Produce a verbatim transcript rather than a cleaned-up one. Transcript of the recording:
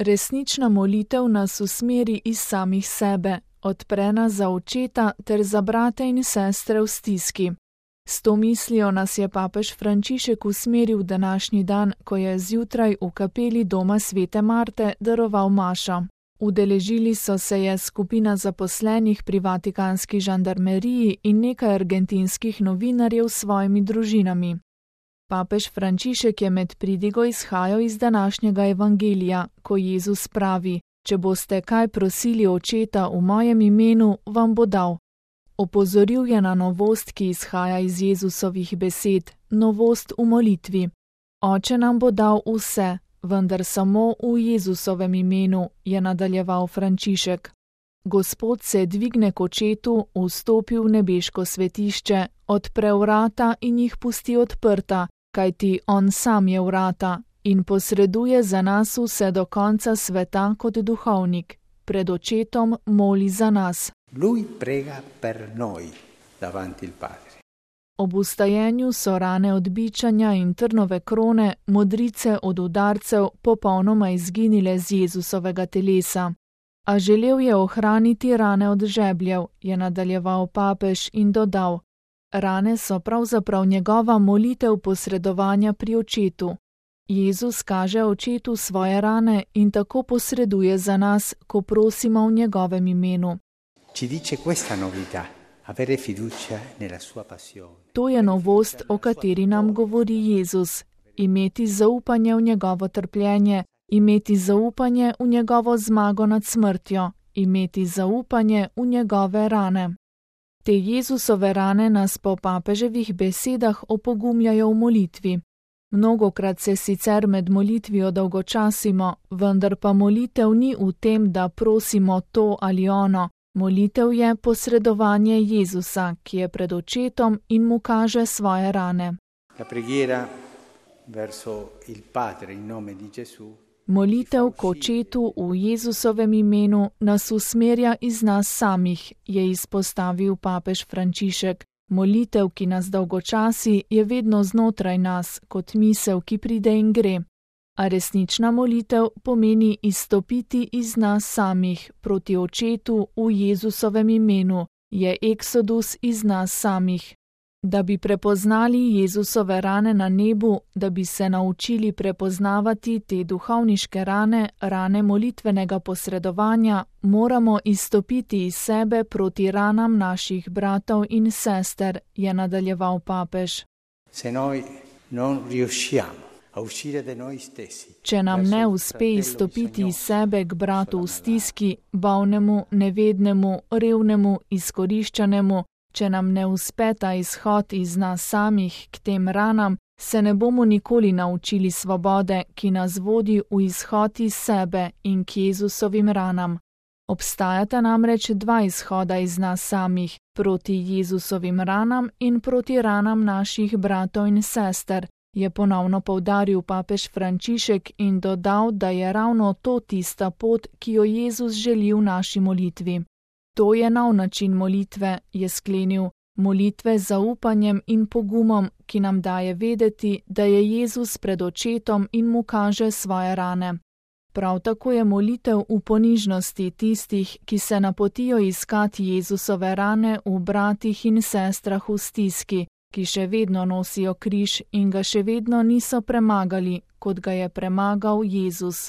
Resnična molitev nas usmeri iz samih sebe, odpre nas za očeta ter za brate in sestre v stiski. S to mislijo nas je papež Frančišek usmeril v današnji dan, ko je zjutraj v kapeli doma svete Marte daroval mašo. Udeležili so se je skupina zaposlenih pri vatikanski žandarmeriji in nekaj argentinskih novinarjev s svojimi družinami. Papež Frančišek je med pridigo izhajal iz današnjega evangelija, ko Jezus pravi: če boste kaj prosili očeta v mojem imenu, vam bo dal. Opozoril je na novost, ki izhaja iz Jezusovih besed, novost v molitvi. Oče nam bo dal vse, vendar samo v Jezusovem imenu, je nadaljeval Frančišek. Gospod se dvigne k očetu, vstopi v nebeško svetišče, odpre vrata in jih pusti odprta, kajti on sam je vrata, in posreduje za nas vse do konca sveta kot duhovnik. Pred očetom moli za nas. Lui prega per noi davanti il Padre. Ob vstajenju so rane od bičanja in trnove krone, modrice od udarcev, popolnoma izginile z Jezusovega telesa. A želel je ohraniti rane od žebljev, je nadaljeval papež in dodal: rane so pravzaprav njegova molitev posredovanja pri očetu. Jezus kaže očetu svoje rane in tako posreduje za nas, ko prosimo v njegovem imenu. Ci dice questa novità, avere fiducia nella sua passione. To je novost, o kateri nam govori Jezus. Imeti zaupanje v njegovo trpljenje, imeti zaupanje v njegovo zmago nad smrtjo, imeti zaupanje v njegove rane. Te Jezusove rane nas po papeževih besedah opogumljajo v molitvi. Mnogokrat se sicer med molitvijo dolgočasimo, vendar pa molitev ni v tem, da prosimo to ali ono. Molitev je posredovanje Jezusa, ki je pred očetom in mu kaže svoje rane. La preghiera verso il Padre in nome di Gesù. Molitev k očetu v Jezusovem imenu nas usmerja iz nas samih, je izpostavil papež Frančišek. Molitev, ki nas dolgočasi, je vedno znotraj nas, kot misel, ki pride in gre. A resnična molitev pomeni izstopiti iz nas samih proti očetu v Jezusovem imenu, je eksodus iz nas samih. Da bi prepoznali Jezusove rane na nebu, da bi se naučili prepoznavati te duhovniške rane, rane molitvenega posredovanja, moramo izstopiti iz sebe proti ranam naših bratov in sester, je nadaljeval papež. Se noi non riusciamo a uscire da noi stessi. Če nam ne uspe izstopiti iz sebe k bratu v stiski, bolnemu, nevednemu, revnemu, izkoriščanemu, če nam ne uspe ta izhod iz nas samih k tem ranam, se ne bomo nikoli naučili svobode, ki nas vodi v izhod iz sebe in k Jezusovim ranam. Obstajata namreč dva izhoda iz nas samih, proti Jezusovim ranam in proti ranam naših bratov in sester, je ponovno poudaril papež Frančišek in dodal, da je ravno to tista pot, ki jo Jezus želi v naši molitvi. To je nov način molitve, je sklenil, molitve z zaupanjem in pogumom, ki nam daje vedeti, da je Jezus pred očetom in mu kaže svoje rane. Prav tako je molitev v ponižnosti tistih, ki se napotijo iskati Jezusove rane v bratih in sestrah v stiski, ki še vedno nosijo križ in ga še vedno niso premagali, kot ga je premagal Jezus.